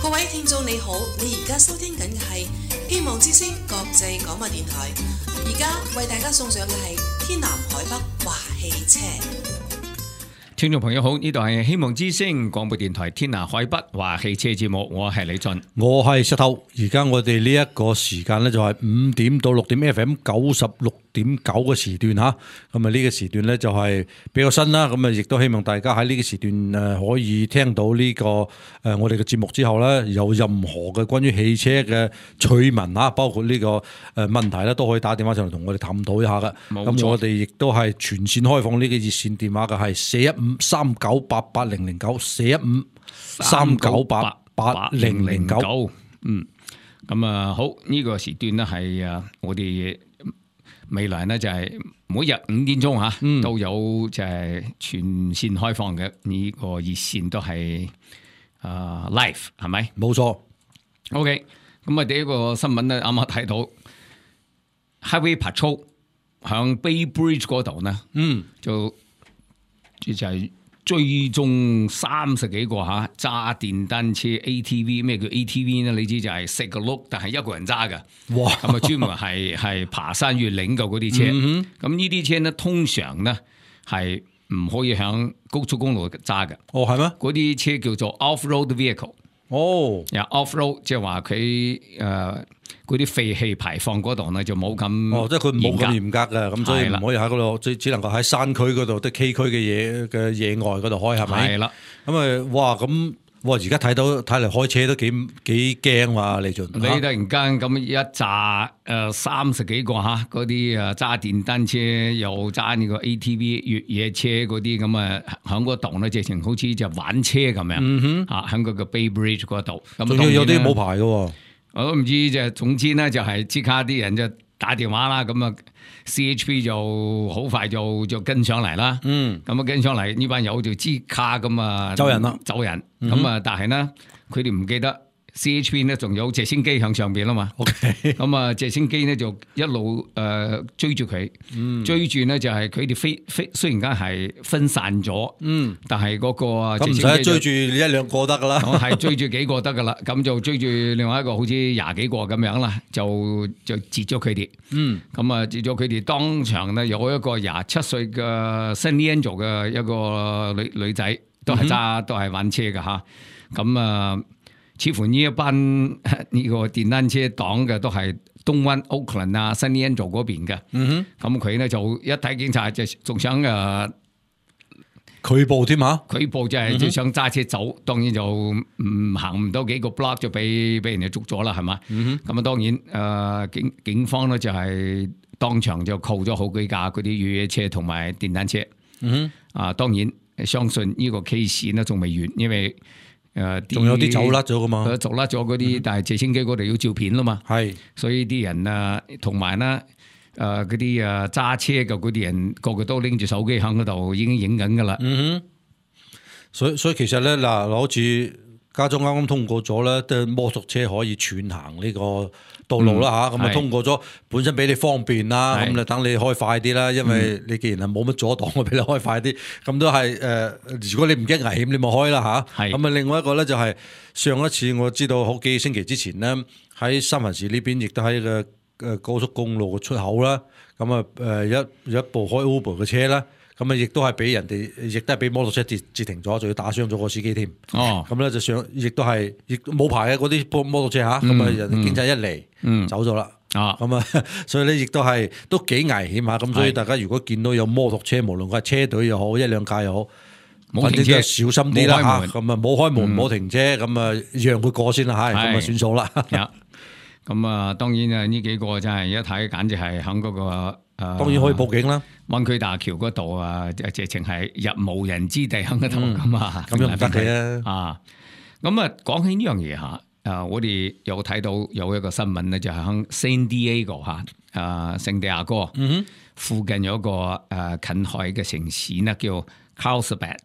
各位聽眾你好，你而家收聽緊嘅係希望之聲國際廣播電台，而家為大家送上嘅係天南海北話汽車。聽眾朋友好，呢度係希望之聲廣播電台天南海北話汽車節目，我係李俊，我係石頭。而家我哋呢一個時間呢，就係5點到6點 FM 96.9嘅時段吓，咁啊呢個時段呢，就係比較新啦，咁啊亦都希望大家喺呢個時段可以聽到呢個我哋嘅節目之後呢，有任何嘅關於汽車嘅趣聞啊，包括呢個問題呢，都可以打電話上嚟同我哋探討一下嘅。咁我哋亦都係全線開放呢個熱線電話嘅，係41539880009 41539880009。咁啊好，呢個時段呢係我哋未來呢就係每日5點鐘都有就係全線開放嘅呢個熱線都係live 係咪？冇錯。OK， 咁啊第一個新聞咧啱啱睇到 Highway Patrol 響 Bay Bridge 嗰度呢，就係追蹤30幾個揸電單車 ATV， 咩叫 ATV 呢？你知就係食個轆，但係一個人揸㗎。哇！咁啊專門係爬山越嶺嘅嗰啲車。咁呢啲車呢，通常呢係唔可以響高速公路揸嘅。哦，係咩？嗰啲車叫做 off-road vehicle。哦，off-road 即係話佢嗰啲廢氣排放嗰度呢就冇咁即係佢冇咁嚴格嘅，咁所以唔可以喺嗰度，只能夠喺山區嗰度、啲崎嶇嘅野外嗰度開，係咪？係啦。咁而家睇嚟開車都幾驚喎，李俊。你突然間咁一紮30幾個嗰啲揸電單車又揸呢個 ATV 越野車嗰啲咁啊，喺嗰度呢直情好似就玩車咁樣喺嗰個 Bay Bridge 嗰度。仲要有啲冇牌嘅。我都唔知，就總之呢，就係即刻啲人就打電話啦，咁啊 CHP 就好快就跟上嚟啦。咁啊跟上嚟呢班友就即刻咁啊走人。咁啊但係呢，佢哋唔記得 CHP 呢仲有直升機向上邊啦嘛。咁啊直升機呢就一路追住佢，追住呢就係佢哋飛，雖然間係分散咗，但係嗰個咁唔使追住1兩個得噶啦，係追住幾個得噶啦，咁就追住另外一個好似20幾個咁樣啦，就截咗佢哋。咁啊截咗佢哋，當場呢有一個27歲嘅 San Leandro 嘅一個女仔，都係都係玩車嘅吓。咁啊似乎呢一班呢個電單車黨嘅都係東灣 Oakland 啊 San Leandro 嗰邊嘅。咁佢呢就一睇警察就仲想拒捕添嚇，拒捕就係想揸車走，當然就行唔到幾個 block 就俾人哋捉咗啦，係嘛？咁啊當然警方呢就係當場就扣咗好幾架嗰啲越野車同埋電單車。當然相信呢個 case 呢仲未完，因為仲有啲走甩咗噶嘛，走甩咗嗰啲，但係直升機嗰度要照片啦嘛，係，所以啲人同埋呢嗰啲揸車嘅嗰啲人，個個都拎住手機喺嗰度已經影緊噶啦。所以其實咧嗱，好似加州啱啱通過咗咧，都摩托車可以全行呢個道路啦嚇，咁啊通過咗，本身俾你方便啦，咁就等你開快啲啦，因為你既然係冇乜阻擋，我俾你開快啲，咁都係如果你唔驚危險，你咪開啦嚇。咁啊，另外一個咧就係上一次我知道好幾星期之前咧，喺三藩市呢邊亦都喺個高速公路嘅出口啦，咁啊有一部開 Uber 嘅車啦。咁啊，亦都係俾人哋，亦都係俾摩托車截停咗，仲要打傷咗個司機添。咁咧就上，亦都係，亦冇牌嘅嗰啲摩托車嚇。咁啊，人哋警察一嚟，走咗啦。咁啊，所以咧亦都係都幾危險嚇。咁所以大家如果見到有摩托車，無論佢係車隊又好，1兩架又好，反正就小心啲啦嚇。咁啊，冇開門，冇停車，咁啊讓佢過先啦嚇。咁啊算數啦。咁啊，當然呢幾個真係一睇，簡直係喺嗰個。當然可以報警啦，灣區大橋嗰度直情係入無人之地喺嗰度咁啊，咁又唔得嘅啊！咁啊，講起呢樣嘢嚇，我哋有睇到有一個新聞咧，就係喺 San Diego 聖地亞哥附近有一個近海嘅城市呢，叫 Carlsbad。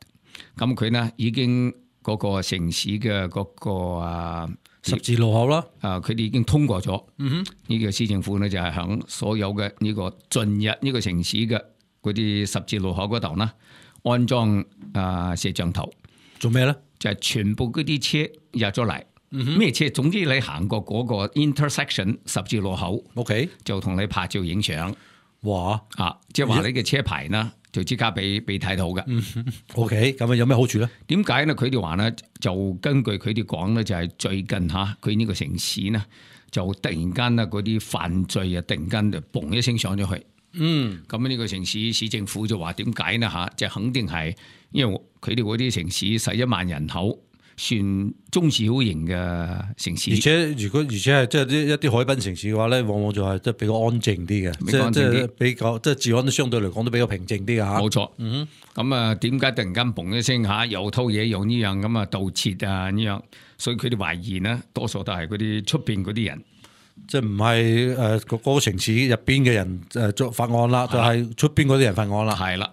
咁佢呢已經嗰個城市嘅嗰個十字路口啦，佢哋已經通過咗。呢個市政府呢，就係響所有嘅呢個進入呢個城市嘅嗰啲十字路口嗰度呢，安裝攝像頭。做咩咧？就係全部嗰啲車入咗嚟，咩車？總之你行過嗰個 intersection 十字路口 OK，就同你拍照影相哇啊！即係話你嘅車牌啦，就即刻俾睇到嘅。OK，咁啊有咩好處咧？點解咧？佢哋話咧，就根據佢哋講咧，就係最近佢呢個城市呢，就突然間咧嗰啲犯罪啊，突然間就嘣一聲上咗去。咁呢個城市市政府就話點解呢？就肯定係因為佢哋嗰啲城市11萬人口，算中小型嘅城市。而且係即係一啲海濱城市嘅話咧，往往就係即係比較安靜啲嘅，即係比較即係治安都相對嚟講都比較平靜啲嘅嚇。冇錯。咁啊，點解突然間嘣一聲又偷嘢又呢樣咁啊盜竊啊呢樣？所以佢哋懷疑呢，多數都係嗰啲出邊嗰啲人。即係唔係嗰個城市入邊嘅人作犯案啦，就係出邊嗰啲人犯案啦。係啦，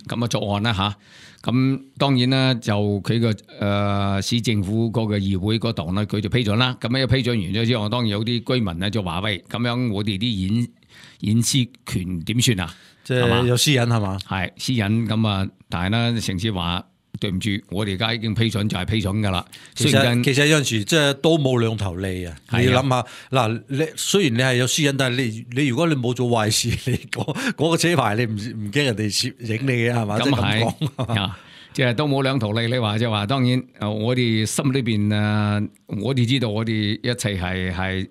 咁啊作案啦嚇。咁當然啦，就佢個市政府嗰個議會嗰度咧，佢就批准啦。咁一批准完咗之後，當然有啲居民咧就話：喂，咁樣我哋啲隱私權點算啊？即係有私隱係嘛？係私隱咁啊，但係咧城市話。對唔住，我哋而家已經批准就係批准噶啦。其實有陣時即係都冇兩頭利啊！你要諗下嗱，你雖然你係有私隱，但係你如果你冇做壞事，你嗰個車牌你唔驚人哋攝影你嘅係嘛？咁係即係都冇兩頭利。你話就話，當然我哋心裏邊我哋知道我哋一切係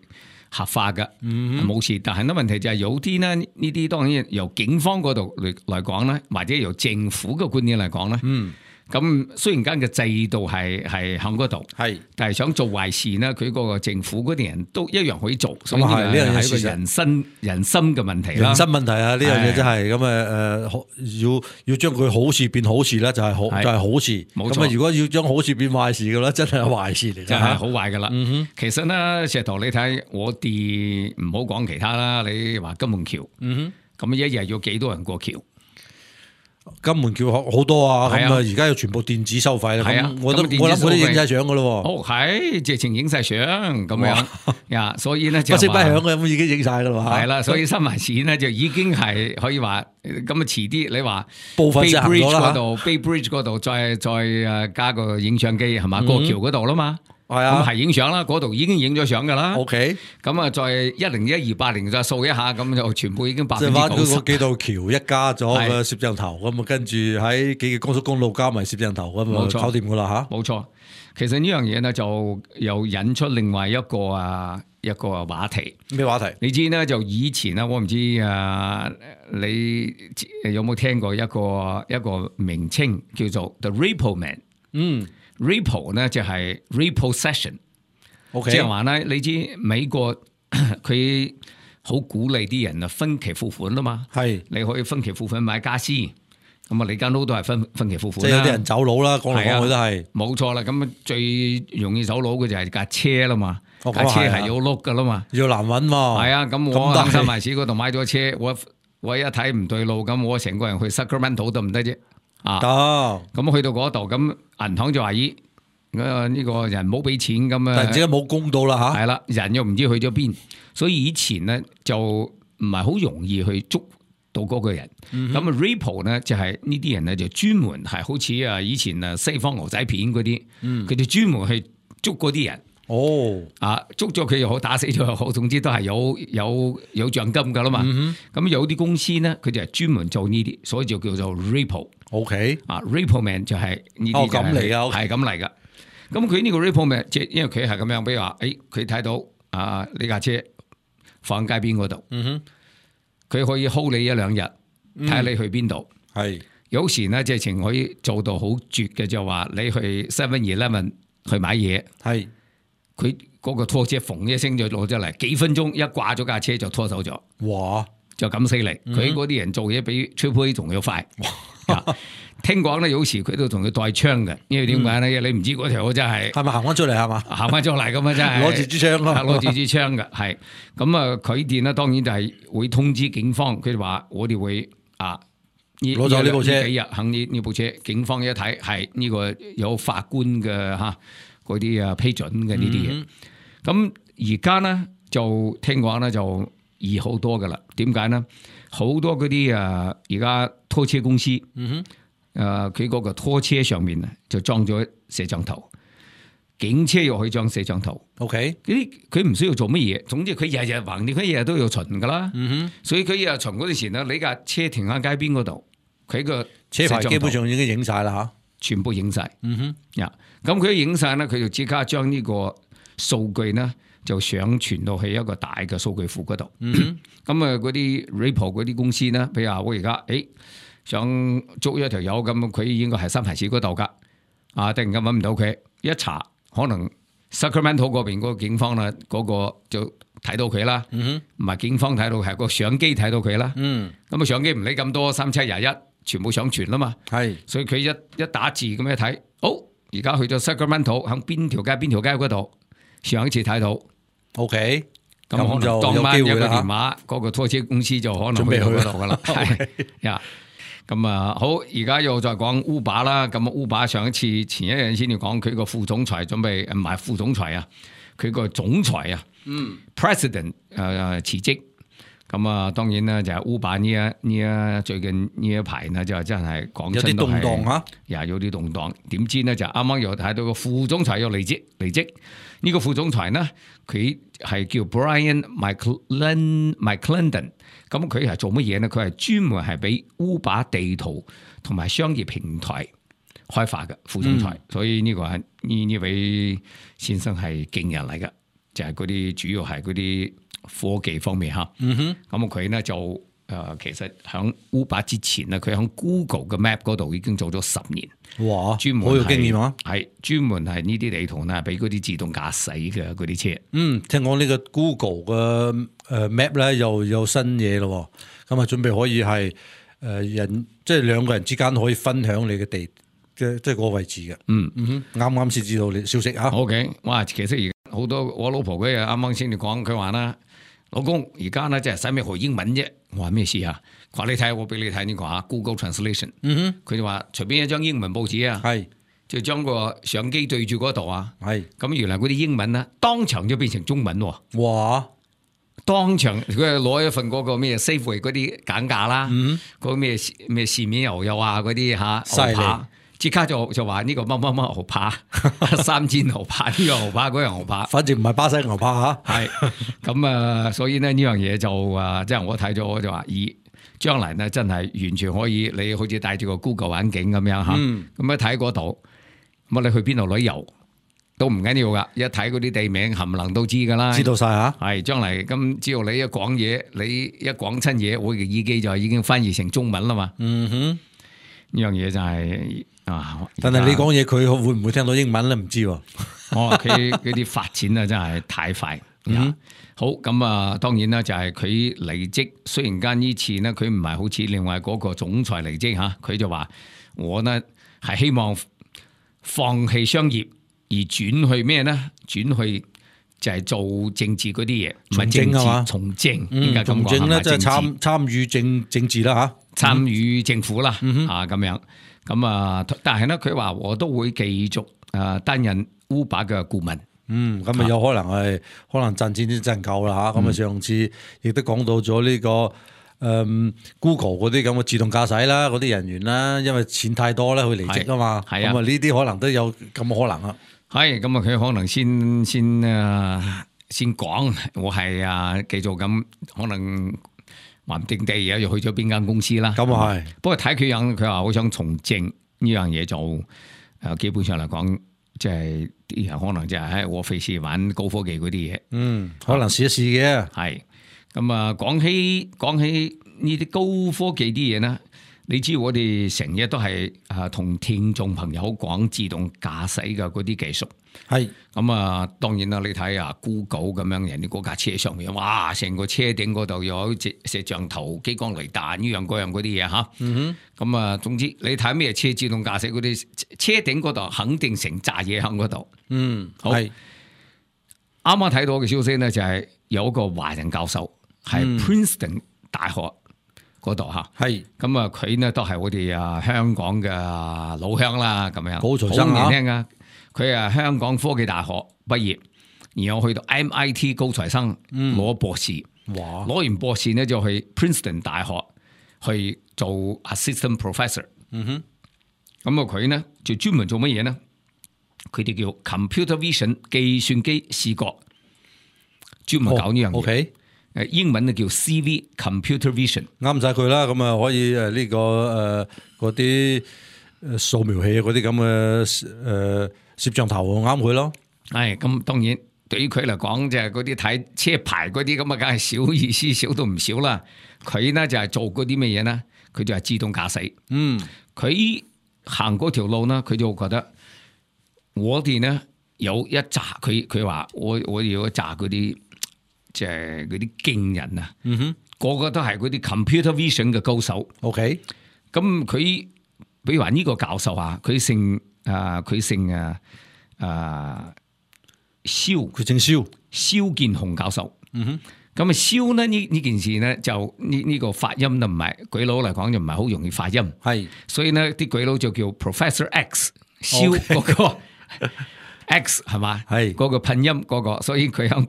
合法嘅，冇事。但係呢問題就係有啲呢啲當然由警方嗰度嚟講咧，或者由政府嘅觀點嚟講咧。咁雖然間嘅制度係喺嗰度，係，但係想做壞事呢，佢嗰個政府嗰啲人都一樣可以做，所以呢樣係一個人心嘅問題啦。人心問題啊，呢樣嘢真係咁要將佢好事變好事咧，就係好事。冇錯。咁如果要將好事變壞事嘅咧，真係壞事嚟，真係好壞噶啦。其實呢，石頭你睇我哋唔好講其他啦，你話金門橋，咁一日要幾多人過橋？金門橋好多啊，咁啊而家要全部電子收費啦。咁我諗佢哋影晒相噶咯。哦，係直情影晒相咁樣呀，所以咧就不聲不響嘅咁已經影晒噶啦。係啦，所以新華市呢就已經係可以話咁啊，遲啲你話部分行咗啦。Bay Bridge 嗰度再加個影相機係嘛，過橋嗰度啦嘛。係啊，咁係影相啦，嗰度已經影咗相噶啦。OK，咁啊，再101280再掃一下，咁就全部已經90%。即係挖嗰幾道橋一加咗個攝像頭，咁啊跟住喺幾個高速公路加埋攝像頭，咁啊搞掂噶啦吓。冇錯，其實呢樣嘢呢，就又引出另外一個話題。咩話題？你知呢，就以前呢，我唔知你有冇聽過一個名稱叫做 The Repo Man。Repo 呢就係 repossession， 即係話咧，你知美國佢好鼓勵啲人啊分期付款啦嘛，係你可以分期付款買家私，咁啊你間屋都係分期付款啦。即係有啲人走佬啦，講嚟講去都係冇錯啦。咁最容易走佬嘅就係架車啦嘛，架車係要碌噶啦嘛，要難揾嘛。係啊，咁我喺新華市嗰度買咗車，我一睇唔對路，咁我成個人去 Sacramento 得唔得啫？咁去到嗰度，咁銀行就話咦，呢個人冇俾錢咁啊，突然之間冇供到啦吓，係啦，人又唔知去咗邊，所以以前咧就唔係好容易去捉到嗰個人。咁啊 Repo 咧就係呢啲人咧就專門係好似以前西方牛仔片嗰啲，佢哋專門去捉嗰啲人。捉咗佢又好，打死咗又好，總之都係有獎金噶啦嘛。咁有啲公司咧，佢就係專門做呢啲，所以就叫做 Repo。Repo Man 就係呢啲咁嚟噶，係咁嚟噶。咁佢呢個 Repo Man，即係因為佢係咁樣，比如話，佢睇到呢架車放喺街邊嗰度，佢可以 hold 你一兩日，睇下你去邊度。係有時咧，即係情可以做到好絕嘅，就話你去 7-11去買嘢，係。佢嗰個拖車縫一聲就攞咗嚟，幾分鐘一掛咗架車就拖走咗。哇！就咁犀利，佢嗰啲人做嘢比 Triple A 仲要快。聽講咧，有時佢都同佢帶槍嘅，因為點解咧？你唔知嗰條真係咪行翻出嚟係嘛？行翻出嚟咁啊！真係攞住支槍咯，攞住支槍嘅係。咁啊，佢哋咧當然就係會通知警方，佢哋話我哋會攞咗呢部車，幾日肯呢部車，警方一睇係呢個有法官嘅嚇。嗰啲批准嘅呢啲嘢，咁而家咧就聽講咧就易好多噶啦。點解咧？好多嗰啲而家拖車公司，佢嗰個拖車上面就裝咗攝像頭，警車又可以裝攝像頭。 OK，佢唔需要做乜嘢，總之佢日日橫掂，佢日日都要巡噶啦。所以佢日日巡嗰陣時咧，你架車停喺街邊嗰度，佢個車牌基本上已經影晒啦嚇，全部影晒。咁佢影晒咧，佢就即刻將呢個數據咧就上傳到去一個大嘅數據庫嗰度。咁啊嗰啲 report 嗰啲公司咧，譬如話我而家想捉一條友咁，佢應該係三藩市嗰度噶，突然間揾唔到佢，一查可能 Sacramento 嗰邊嗰個警方啦，嗰個就睇到佢啦。唔係警方睇到，係個相機睇到佢啦。咁啊相機唔理咁多3721，全部上傳啦嘛。係，所以佢一打字咁一睇，而家去咗 Sacramento 喺邊條街嗰度，上一次睇到。OK， 咁可能當晚一個電話，嗰個拖車公司就可能去到嗰度噶啦。係呀。咁啊，好，而家又再講 Uber 啦。咁 Uber 上一次前一日先要講佢個副總裁準備唔係副總裁啊，佢個總裁啊，President 辭職。咁啊，當然啦，就係 Uber 呢最近呢一排呢，就真係講真有啲動盪嚇，有啲動盪。點知呢，就啱啱又睇到個副總裁又離職。呢個副總裁呢，佢係叫 Brian McClendon。咁佢係做乜嘢呢？佢係專門係俾 Uber 地圖同埋商業平台開發嘅副總裁。所以呢個係呢位先生係勁人嚟嘅，就係嗰啲主要係嗰啲科技方面嚇。咁佢呢就其實喺 Uber 之前呢，佢喺 Google 嘅 Map 嗰度已經做咗10年。哇！專門好有經驗啊！係專門係呢啲地圖呢，俾嗰啲自動駕駛嘅嗰啲車。聽講呢個 Google 嘅Map 咧又有新嘢咯，咁啊準備可以係即係兩個人之間可以分享你嘅地，即係個位置嘅。啱先知道你消息啊。OK， 哇！其實而家好多我老婆佢啱啱先至講，佢話啦，老公而家咧即係使咩學英文啫？我話咩事啊？佢話你睇我俾你睇呢個 Google Translation。佢就話隨便一張英文報紙啊，就將個相機對住嗰度啊，咁原來嗰啲英文咧當場就變成中文喎。哇！當場佢攞一份嗰個咩 Safeway 嗰啲減價啦，嗰個咩豉面牛肉啊嗰啲嚇牛扒，即刻就話呢個乜牛扒，3煎牛扒，呢個牛扒嗰樣牛扒，反正唔係巴西牛扒嚇。係咁啊，所以呢樣嘢就即係我睇咗我就話，將來呢真係完全可以，你好似戴住個 Google 眼鏡咁樣嚇，咁一睇嗰度，咁你去邊度旅遊？都唔緊要噶，一睇嗰啲地名冚唪唥都知噶啦，知道晒嚇。係將嚟咁，只要你一講嘢，你一講親嘢，我嘅耳機就已經翻譯成中文啦嘛。呢樣嘢就係但係你講嘢，佢會唔會聽到英文咧？唔知喎。佢啲發展啊，真係太快。好咁啊，當然啦，就係佢離職。雖然間呢次呢，佢唔係好似另外嗰個總裁離職嚇，佢就話我呢係希望放棄商業。而轉去咩咧？轉去就係做政治嗰啲嘢，唔係政治從政，應該咁講。從政咧，即係參與政治啦嚇，參與政府啦咁樣。咁啊，但係咧，佢話我都會繼續擔任 Uber 嘅顧問。咁啊有可能賺錢都賺夠啦嚇。咁啊上次亦都講到咗呢個。Google 嗰啲咁嘅自動駕駛啦，嗰啲人員啦，因為錢太多咧，佢離職啊嘛。係啊，咁啊呢啲可能都有咁可能啊。係咁啊，佢可能先講，我係繼續咁，可能話唔定地而家又去咗邊間公司啦。咁啊係，不過睇佢樣，佢話好想從政呢樣嘢就基本上嚟講，即係啲人可能就係喺我費事玩高科技嗰啲嘢。可能試一試嘅。係。咁啊，講起呢啲高科技啲嘢咧，你知我哋成日都係同聽眾朋友講自動駕駛嘅嗰啲技術。係咁啊，當然啦，你睇下 Google 咁樣，人哋嗰架車上面，哇，成個車頂嗰度有隻攝像頭、激光雷達呢樣嗰樣嗰啲嘢嚇。咁啊，總之你睇咩車自動駕駛嗰啲車頂嗰度，肯定成扎嘢喺嗰度。好。啱啱睇到嘅消息咧，就係有一個華人教授。係 Princeton 大學嗰度嚇，係咁啊！佢呢都係我哋香港嘅老鄉啦，咁樣高材生好年輕啊！佢係香港科技大學畢業，然後去到 MIT 高材生攞博士，攞完博士呢就去 Princeton 大學去做 assistant professor。咁啊佢呢就專門做乜嘢呢？佢哋叫 computer vision 計算機視覺，專門搞呢樣嘢。OK，英文咧叫 CV computer vision，啱晒佢啦。咁啊可以呢個嗰啲掃描器嗰啲咁嘅攝像頭啱佢咯。係咁，當然對於佢嚟講就係嗰啲睇車牌嗰啲咁啊，梗係少意思，少到唔少啦。佢呢就係做嗰啲咩嘢呢？佢就係自動駕駛。佢行嗰條路呢，佢就覺得我哋呢有一紮，佢話我要一紮嗰啲即係嗰啲勁人啊，個個都係嗰啲 computer vision 嘅高手。OK，咁佢比如話呢個教授啊，佢姓蕭，佢姓蕭建雄教授。咁啊蕭呢件事呢，就呢個發音就唔係鬼佬嚟講就唔係好容易發音，係，所以呢啲鬼佬就叫 Professor X 蕭嗰個 X 係嘛，係嗰個拼音嗰個，所以佢喺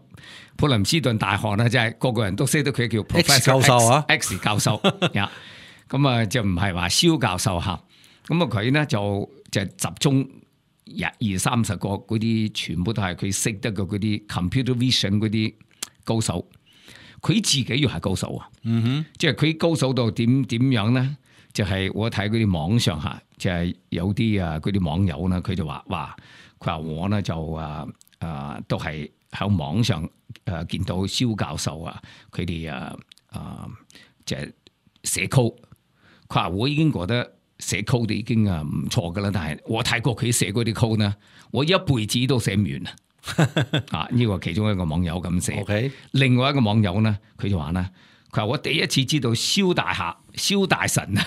普林斯頓大學呢，即係個個人都識得佢叫 Professor X 教授啊 ，X 教授呀，咁啊就唔係話蕭教授嚇，咁啊佢呢就集中20-30個嗰啲，全部都係佢識得嘅嗰啲 computer vision 嗰啲高手。佢自己又係高手啊！即係佢高手到點樣咧？就係我睇嗰啲網上嚇，就係有啲嗰啲網友咧，佢就話佢話我咧就都係喺網上見到蕭教授啊，佢哋就係寫 code。佢話我已經覺得寫 code 已經唔錯噶啦，但係我睇過佢寫嗰啲 code 咧，我一輩子都寫唔完啊！呢個其中一個網友咁寫。OK， 另外一個網友咧，佢就話咧，佢話我第一次知道蕭大神啊，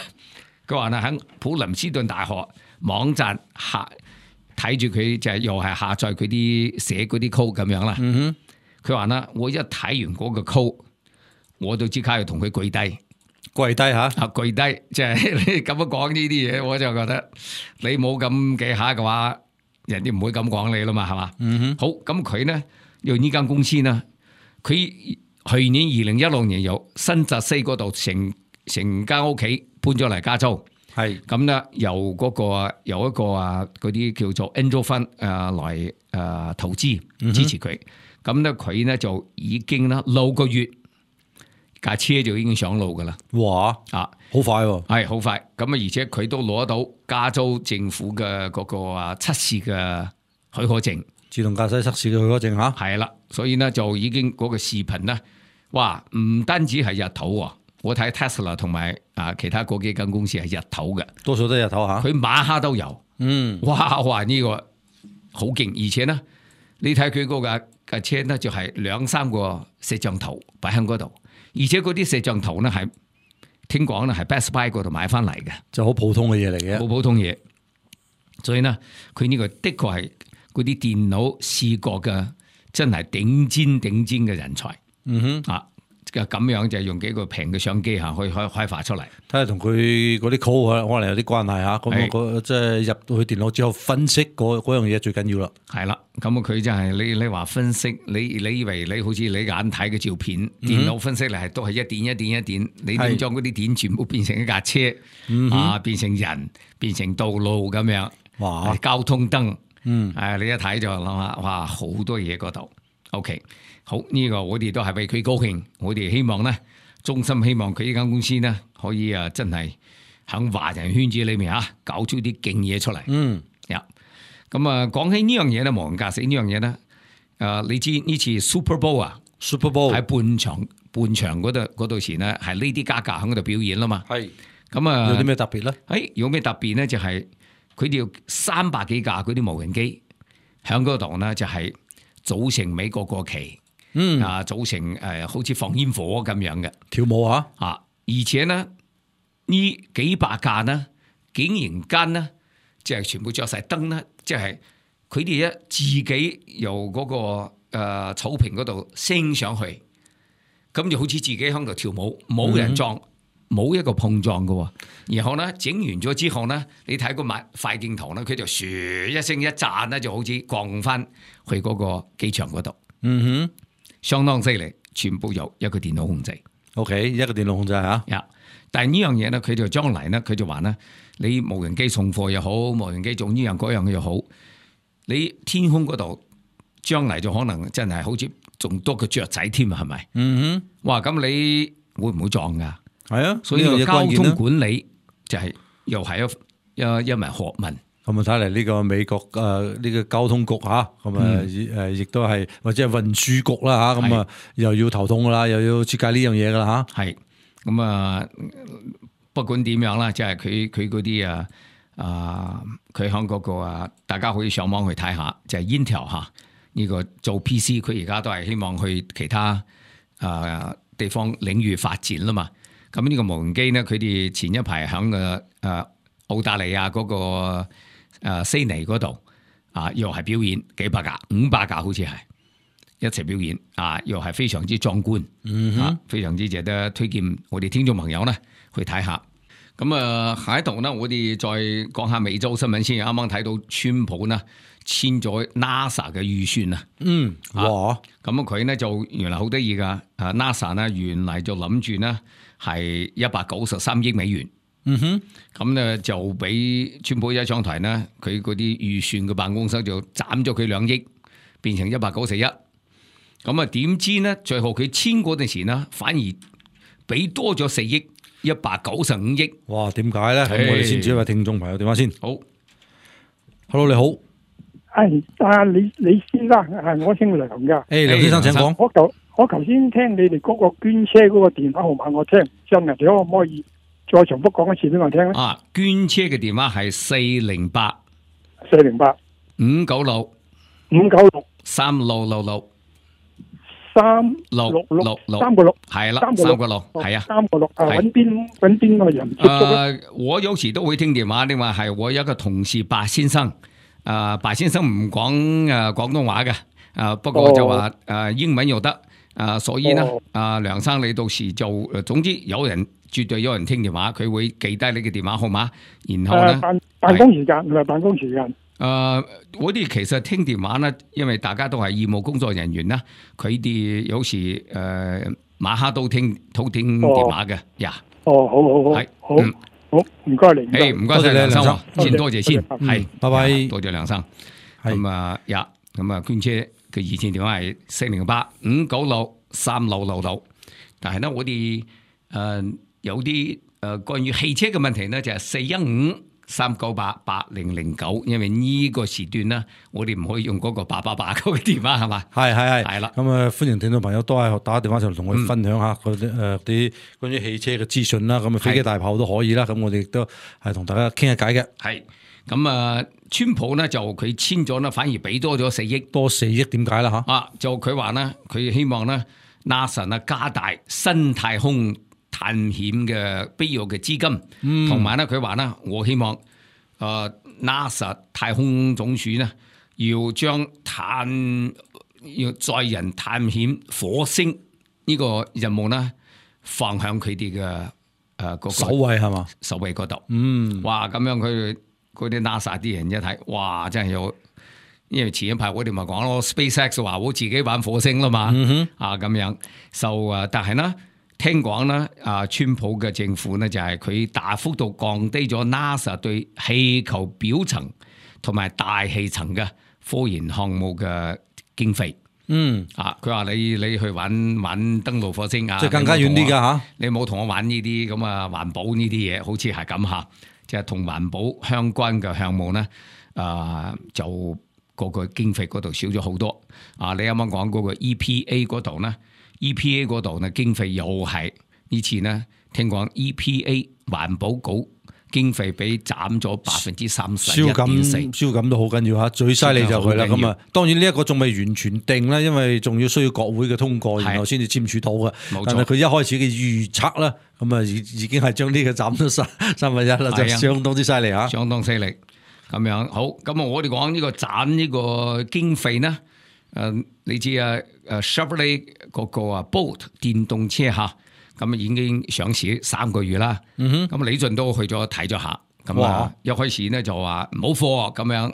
佢話咧喺普林斯頓大學網站睇住佢就係又係下載佢啲寫嗰啲 code 咁樣啦。佢話咧，我一睇完嗰個 code，我都即刻要同佢跪低嚇，跪低，即係你咁樣講呢啲嘢，我就覺得你冇咁技巧嘅話，人哋唔會咁講你啦嘛，係嘛？好，咁佢呢，用呢間公司呢，佢去年2016年由新澤西嗰度成間屋企搬咗嚟加州，係咁呢，由一個嗰啲叫做 Angel Fund 來投資支持佢，咁呢，佢呢就已經啦6個月架車就已經上路噶啦。哇！好快喎，係好快。咁啊，而且佢都攞到加州政府嘅嗰個測試嘅許可證，自動駕駛測試嘅許可證嚇。係啦，所以呢，就已經嗰個視頻咧，哇！唔單止係日頭喎，我睇 Tesla 同埋其他嗰幾間公司係日頭嘅，多數都係日頭嚇。佢晚黑都有。哇！呢個好勁，而且呢，你睇佢嗰架車呢，就係2-3個攝像頭擺喺嗰度，而且嗰啲攝像頭呢係。聽講咧係 Best Buy 嗰度買翻嚟嘅，就好普通嘅嘢嚟嘅，好普通嘢。所以呢，佢呢個的確係嗰啲電腦視覺嘅真係頂尖嘅人才。咁樣就用幾個平嘅相機嚇，可以開發出嚟。睇下同佢嗰啲 code 可能有啲關係嚇。咁即係入到去電腦之後分析嗰樣嘢最緊要啦。係啦，咁佢真係你話分析，你以為你好似你眼睇嘅照片，電腦分析嚟係都係一點，你點將嗰啲點全部變成一架車變成人，變成道路咁樣，哇！交通燈，你一睇就諗下，哇！好多嘢嗰度。OK。好，呢個我哋都係為佢高興，我哋希望呢，衷心希望佢呢間公司呢，可以真係喺華人圈子裏面搞出啲勁嘢出嚟。咁講起呢樣嘢咧，無人駕駛呢樣嘢咧，你知呢次 Super Bowl 喺半場嗰度前呢，係 Lady Gaga 喺嗰度表演啦嘛。係咁有啲咩特別咧？有咩特別咧？就係佢哋要300幾架嗰啲無人機喺嗰度呢，就係組成美國國旗。組成好似放煙火咁樣嘅跳舞而且呢幾百架呢，竟然間呢，即係全部着晒燈呢，即係佢哋自己由嗰個草坪嗰度升上去，咁就好似自己喺度跳舞，冇人撞，冇一個碰撞嘅。然後呢，整完咗之後呢，你睇個快鏡頭呢，佢就噓一聲一炸呢，就好似降翻去嗰個機場嗰度。相當犀利，全部由一個電腦控制。OK， 一個電腦控制嚇。但係呢樣嘢咧，佢就將來咧，佢就話咧，你無人機送貨又好，無人機做呢樣嗰樣又好，你天空嗰度將嚟就可能真係好似仲多個雀仔添啊，係咪？哇！咁你會唔會撞㗎？係啊，所以呢個交通管理就係又係一門學問。咁啊，睇嚟呢個美國呢個交通局嚇，咁啊亦都係或者係運輸局啦嚇，咁啊又要頭痛噶啦，又要設計呢樣嘢噶啦嚇。係咁啊，不管點樣啦，即係佢嗰啲佢響嗰個大家可以上網去睇下，就係 Intel 嚇呢個做 PC，佢而家都係希望去其他地方領域發展啦嘛。咁呢個無人機呢，佢哋前一排響澳大利亞嗰個悉尼嗰度又係表演幾百架500架好似係一齊表演又係非常之壯觀，非常之值得推薦我哋聽眾朋友呢去睇下。咁下一度呢，我哋再講下美洲新聞先。啱啱睇到川普呢簽咗 NASA 嘅預算啊，哇！咁佢呢就原來好得意噶，NASA 呢原來就諗住呢係193億美元。咁咧就俾川普一上台呢，佢嗰啲預算嘅辦公室就斬咗佢2億，變成191。咁啊點知呢？最後佢簽嗰陣時呢，反而俾多咗4億，195億。哇！點解咧？咁我哋先接一位聽眾朋友電話先。好 ，Hello 你好，係李先生，我姓梁噶。梁先生請講。我頭先聽你哋嗰個捐車嗰個電話號碼我聽唔真啊，你可唔可以再重複講一次俾我聽咧？捐車嘅電話係408 596 3666 3666係啦，366係啊，366揾邊個人接觸咧？我有時都會聽電話，你話係我有一個同事白先生，白先生唔講廣東話嘅，不過就話英文又得，所以呢，梁生你到時就總之絕對有人聽電話，佢會記低你嘅電話號碼，然後呢辦公時間唔係辦公時間。我哋其實聽電話呢，因為大家都係義務工作人員啦，佢哋有時晚黑都聽電話嘅呀。好，唔該你。唔該晒梁生，先多謝先，係，拜拜，多謝梁生。咁捐車嘅熱線電話係408 596 3666，但係呢，我哋有啲關於汽車嘅問題呢，就係415 398 8009，因為呢個時段呢，我哋唔可以用嗰個888嗰個電話係嘛？係啦。咁歡迎聽眾朋友都係打電話上嚟同我哋分享下嗰啲關於汽車嘅資訊啦。咁飛機大炮都可以啦。咁我哋亦都係同大家傾下偈嘅。係咁川普呢就佢簽咗呢，反而俾多咗4億，多4億點解啦嚇？就佢話呢，佢希望呢 NASA 呢加大新太空探險嘅必要嘅資金，同埋咧佢話咧，我希望NASA 太空總署呢要將要載人探險火星呢個任務呢放向佢哋嘅個首位係嘛？首位嗰度，哇！咁樣佢嗰啲 NASA 啲人一睇，哇！真係有，因為前一排我哋咪講咯 ，SpaceX 話我自己玩火星啦嘛，咁樣，但係呢。聽講咧，川普嘅政府咧就係佢大幅度降低咗 NASA 對氣球表層同埋大氣層嘅科研項目嘅經費。佢話你去玩登陸火星啊，即係更加遠啲㗎嚇。你冇同我玩呢啲咁環保呢啲嘢，好似係咁嚇，即係同環保相關嘅項目咧，就個經費嗰度少咗好多。你啱啱講嗰個 EPA 嗰度咧。EPA 嗰度呢經費又係呢次呢，聽講 EPA 環保局經費俾斬咗31.4%，燒感都好緊要嚇，最犀利就佢啦。咁當然呢一個仲未完全定啦，因為仲要需要國會嘅通過，然後先至簽署到嘅。但係佢一開始嘅預測啦，咁已經係將呢個斬咗1/3啦，就相當之犀利嚇，相當犀利。咁樣好，咁我哋講呢個斬呢個經費呢，你知Chevrolet 嗰個Bolt 電動車嚇，咁已經上市3個月啦。咁李俊都去咗睇咗下，咁一開始呢就話冇貨咁樣，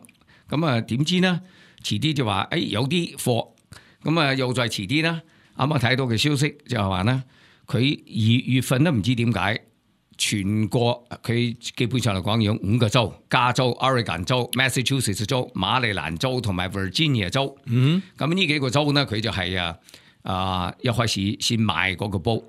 咁點知呢？遲啲就話有啲貨，咁又再遲啲啦。啱啱睇到嘅消息就係話呢，佢2月份都唔知點解全國佢基本上嚟講有5個州：加州、Oregon 州、Massachusetts 州、馬里蘭州同埋 Virginia 州。咁呢幾個州呢，佢就係一開始先賣嗰個煲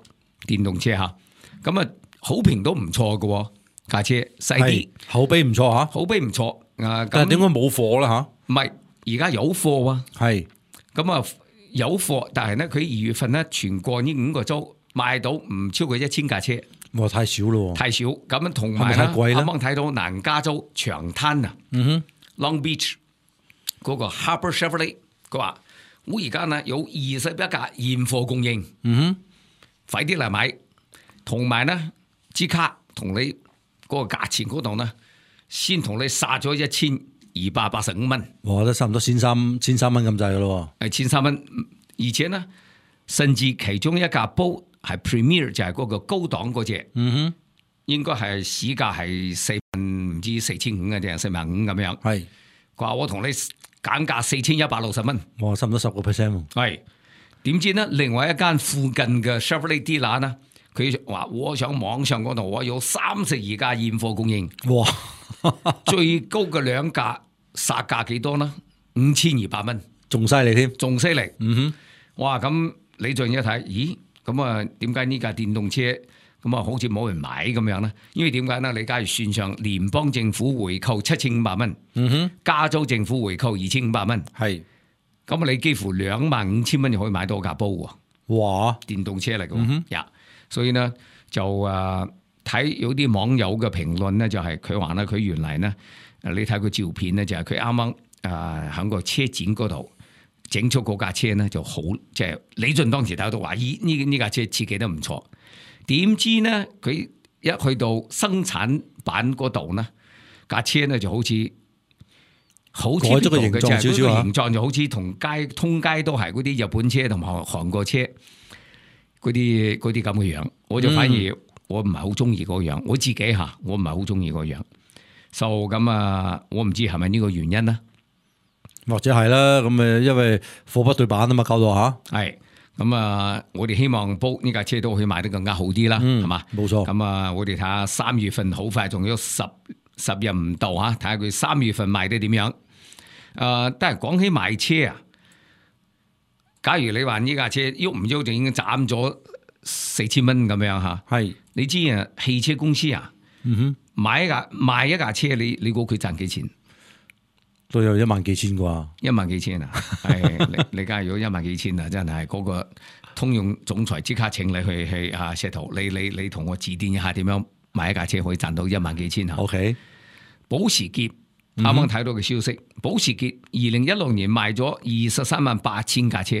電動車嚇。咁啊，好評都唔錯嘅喎，架車細啲，口碑唔錯嚇，口碑唔錯。但係點解冇貨啦嚇？唔係，而家有貨啊。係咁啊，有貨，但係咧，佢2月份咧，全國呢5個州賣到唔超過1000架車。哇，太少咯，太少。咁同埋係咪太貴咧？啱啱睇到南加州長灘啊，Long Beach 嗰個 Harbour Chevrolet，佢話我而家呢有21架現貨供應，快啲嚟買。同埋呢，即刻同你嗰個價錢嗰度呢，先同你殺咗1285蚊。哇，都差唔多1300蚊咁滯噶咯。係1300蚊，而且呢，甚至其中一架煲係 Premier 就係嗰個高檔嗰隻，應該係市價係唔知4500嘅定係45000咁樣。係，佢話我同你減價4160蚊。哇，差唔多10%喎。係，點知呢？另外一間附近嘅 Chevrolet dealer 呢，佢話我上網上嗰度我有32架現貨供應。哇，最高嘅2架殺價幾多呢？5200蚊，仲犀利添，仲犀利。哇！咁你仲一睇，咦？咁啊，點解呢架電動車咁啊，好似冇人買咁樣咧？因為點解呢？你假如算上聯邦政府回扣7500蚊，加州政府回扣2500蚊，係，咁啊，你幾乎25000蚊就可以買到架煲喎。哇！電動車嚟嘅喎，所以呢，就睇有啲網友嘅評論呢，就係佢話呢，佢原嚟呢，你睇佢照片呢，就係佢啱啱喺個車展嗰度整出嗰架車呢，就好，即係李俊當時睇到話，呢架車設計得唔錯。點知呢，佢一去到生產版嗰度呢，架車呢就好似改咗個形狀少少啊，形狀就好似通街都係嗰啲日本車同埋韓國車嗰啲咁嘅樣，我就反而我唔係好中意嗰個樣，我自己我唔係好中意嗰個樣，咁啊，我唔知係咪呢個原因啦，或者係啦，咁因為貨不對版啊嘛，搞到係咁啊，我哋希望煲呢架車都可以賣得更加好啲啦，係嘛？冇錯。咁啊，我哋睇下3月份好快，仲有10日唔到睇下佢3月份賣得點樣。但係講起賣車啊，假如你話呢架車喐唔喐就已經斬咗4000蚊咁樣嚇，係你知啊，汽車公司啊，賣一架車，你估佢賺幾錢？都有1萬幾千啩，1萬幾千啊！係你假如有1萬幾千啊，真係嗰個通用總裁即刻請你去石頭，你同我指點一下點樣買一架車可以賺到1萬幾千啊 ？OK， 保時捷啱啱睇到嘅消息，保時捷2016年賣咗238000架車，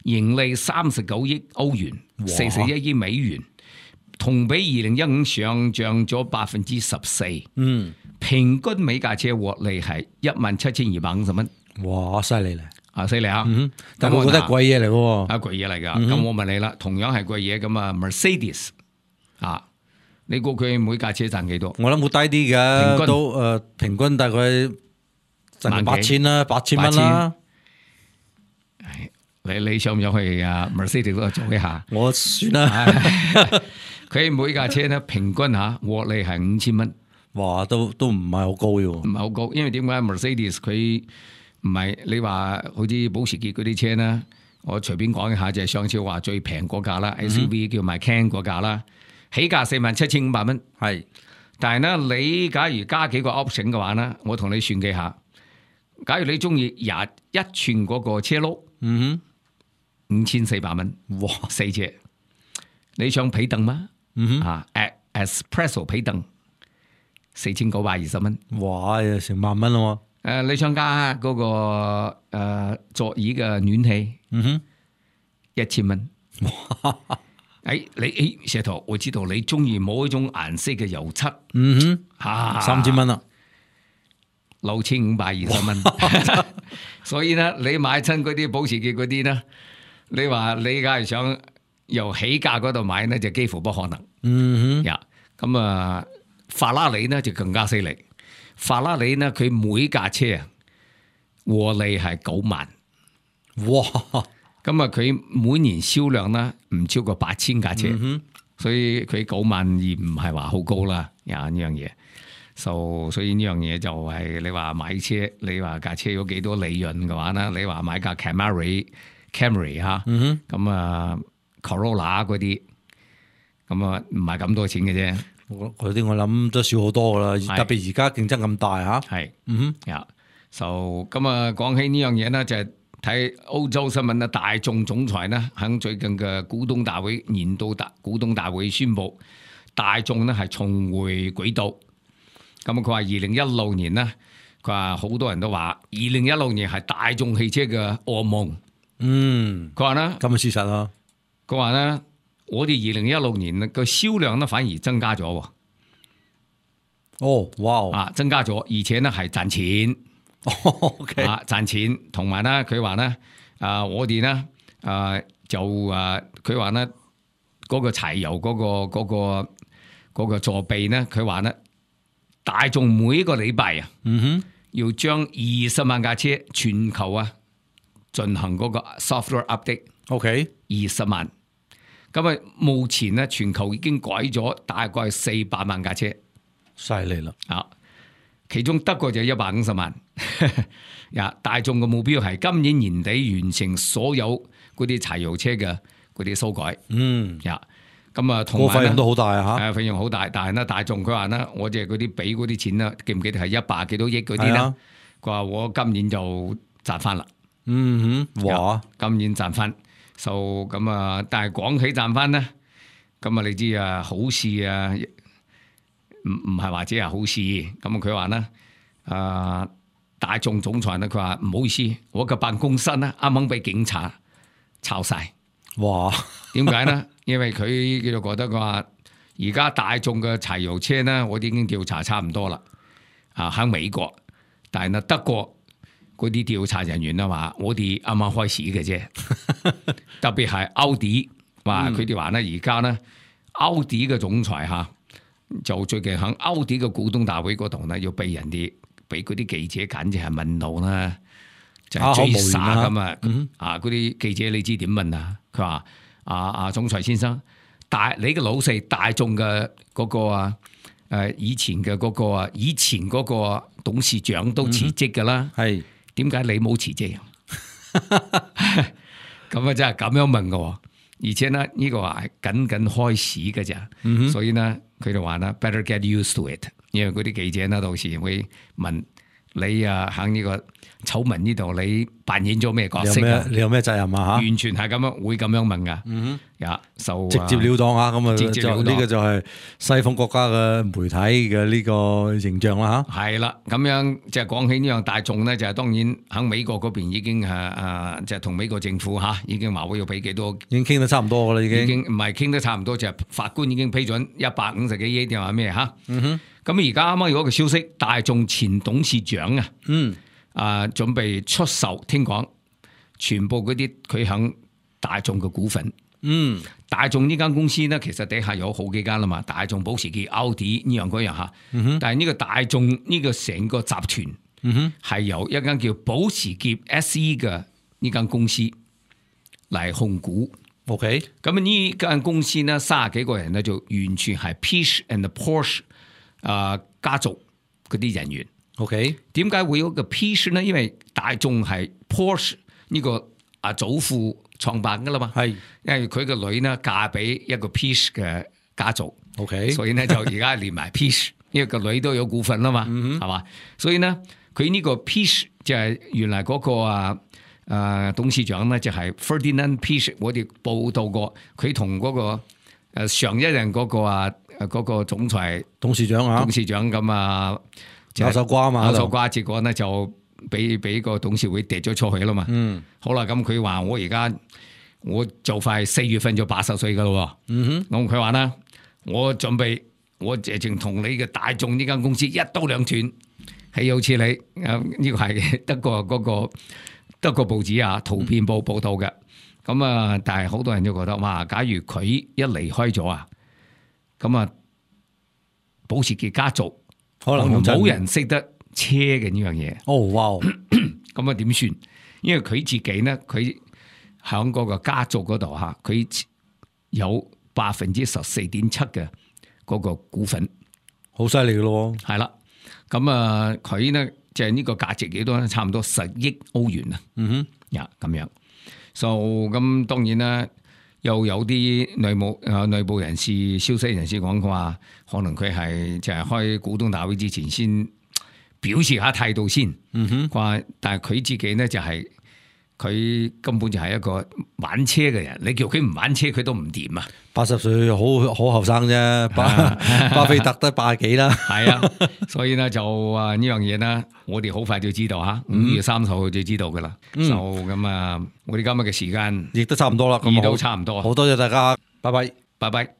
盈利39億歐元，41億美元，同比2015上漲咗14%。平均每架車獲利係17250蚊。哇，犀利咧！犀利啊！但係我覺得係貴嘢嚟喎，貴嘢嚟㗎。咁我問你啦，同樣係貴嘢咁啊 ，Mercedes 你估佢每架車賺幾多？我諗會低啲嘅，都平均大概賺8000啦，8000蚊啦。你想唔想去Mercedes 嗰度做一下？我算啦。佢每架車咧平均獲利係5000蚊。哇，都唔係好高嘅喎，唔係好高，因為點解 Mercedes 佢唔係你話好似保時捷嗰啲車咧？我隨便講一下，就係上次話最平嗰架啦，SUV 叫埋 Macan 嗰架啦，起價47500蚊。係，但係咧你假如加幾個 option 嘅話咧，我同你算幾下。假如你中意21寸嗰個車轆，5400蚊，哇，4隻。你想皮凳嗎？Espresso 皮凳。4920蚊，哇！成萬蚊咯喎！你想加嗰個座椅嘅暖氣，1000蚊。你石頭，我知道你中意某一種顏色嘅油漆，3000蚊啦，6520蚊。所以咧，你買親嗰啲保時捷嗰啲咧，你話你梗係想由起價嗰度買咧，就幾乎不可能。咁啊。法拉利呢就更加犀利，法拉利呢佢每架車獲利係9萬，哇！咁啊佢每年銷量呢唔超過8000架車，所以佢9萬二唔係話好高啦，呢樣嘢。所以呢樣嘢就係你話買車，你話架車有幾多利潤嘅話咧，你話買架 Camry 嚇，咁啊 Corolla 嗰啲，咁啊唔係咁多錢嘅啫。嗰啲我諗都少好多噶啦，特別而家競爭咁大嚇。係，咁啊講起呢樣嘢咧，就係睇歐洲新聞咧，大眾總裁咧喺最近嘅股東大會年度股東大會宣布，大眾咧係重回軌道。咁佢話2016年咧，佢話好多人都話2016年係大眾汽車嘅噩夢。佢話咧咁嘅事實啊。佢話咧，我哋2016年嘅銷量咧反而增加咗喎。哦，哇！增加咗，而且咧係賺錢。OK，賺錢，同埋咧佢話咧，我哋咧佢話咧嗰個柴油嗰個座備咧，佢話咧。大眾每一個禮拜啊，要將20萬架車全球啊進行嗰個 software update。OK， 20萬。咁啊，目前咧全球已經改咗大概400萬架車，犀利啦！其中德國就150萬。大眾嘅目標係今年年底完成所有嗰啲柴油車嘅嗰啲修改。咁啊，同埋費用都好大啊！嚇，費用好大，但係咧大眾佢話咧，我哋嗰啲俾嗰啲錢咧，記唔記得係100幾多億嗰啲咧？佢話我今年就賺翻啦。哇！今年賺翻，咁啊，但係講起賺翻咧，咁啊，你知啊，好事啊，唔係話只係好事。咁佢話咧，大眾總裁咧，佢話唔好意思，我嘅辦公室咧啱啱俾警察抄晒。哇！點解咧？因為佢就覺得佢話而家大眾嘅柴油車咧，我哋已經調查差唔多啦。喺美國，但係咧德國嗰啲調查人員啊話，我哋啱啱開始嘅啫。特別係奧迪，話佢哋話咧，而家咧奧迪嘅總裁嚇，就最近喺奧迪嘅股東大會嗰度咧，要俾嗰啲記者簡直係問到啦，就係追殺咁啊！嗰啲記者你知點問啊？佢話。總裁先生，你嘅老細大眾嘅嗰個以前嘅嗰個董事長都辭職噶啦，係點解你冇辭職？咁啊真係咁樣問嘅，而且呢呢個係僅開始嘅咋，所以呢佢就話啦 ，better get used to it， 因為嗰啲記者呢到時會問你喺呢個醜聞呢度，你扮演咗咩角色啊？你有咩責任啊？嚇，完全係咁樣，會咁樣問噶。直接了當啊！咁啊，呢個就係西方國家嘅媒體嘅呢個形象啦嚇。係啦，咁樣即係講起呢樣大眾咧，就係當然喺美國嗰邊已經即係同美國政府已經話會要俾幾多，已經傾得差唔多噶啦，已經唔係傾得差唔多，就係法官已經批准150幾億定話咩嚇？咁而家啱啱有一個消息，大眾前董事長準備出售，聽講全部嗰啲佢響大眾嘅股份。大眾呢間公司咧，其實底下有好幾間啦嘛，大眾、保時捷、奧迪呢樣嗰樣嚇。但係呢個大眾呢個成個集團係由一間叫保時捷 SE 嘅呢間公司嚟控股。OK， 咁呢間公司咧30幾個人咧就完全係 Pish and Porsche 家族嗰啲人員。OK， 點解會有個 Pish 咧？因為大眾係 Porsche 呢個祖父創辦噶啦嘛，係，因為佢個女呢嫁俾一個 Pish 嘅家族，OK， 所以呢就而家連埋 Pish， 因為個女都有股份啦嘛，係嘛，所以呢佢呢個 Pish 就係原來嗰個董事長呢就係 Ferdinand Pish， 我哋報道過，佢同嗰個上一任嗰個總裁董事長咁咬手瓜嘛，咬手瓜，結果呢就俾個董事會跌咗出去啦嘛。好啦，咁佢話我就快4月份就80歲噶咯。咁佢話啦，我準備我淨同你嘅大眾呢間公司一刀兩斷，係有似你呢個係德國嗰個德國報紙圖片報道嘅。咁但係好多人都覺得哇，假如佢一離開咗咁保時捷家族可能冇人識得車嘅呢樣嘢。哦，哇！咁點算？因為佢自己呢，佢喺嗰個家族嗰度佢有14.7%嘅嗰個股份，好犀利嘅咯。係啦。咁啊，佢呢就係呢個價值幾多咧？差唔多10億歐元啊。呀咁樣。咁當然啦，又有啲內部人士、消息人士講嘅話，可能佢係就係開股東大會之前先表示下態度先。話但係佢自己呢就係、佢根本就係一個玩車嘅人，你叫佢唔玩車佢都唔掂啊！80歲好後生啫，巴菲特得80幾啦。係啊，所以呢就呢樣嘢呢，我哋好快就知道嚇，5月30號就知道噶啦。咁啊，我哋今日嘅時間亦都差唔多啦，亦都差唔多。好多謝大家，拜拜，拜拜。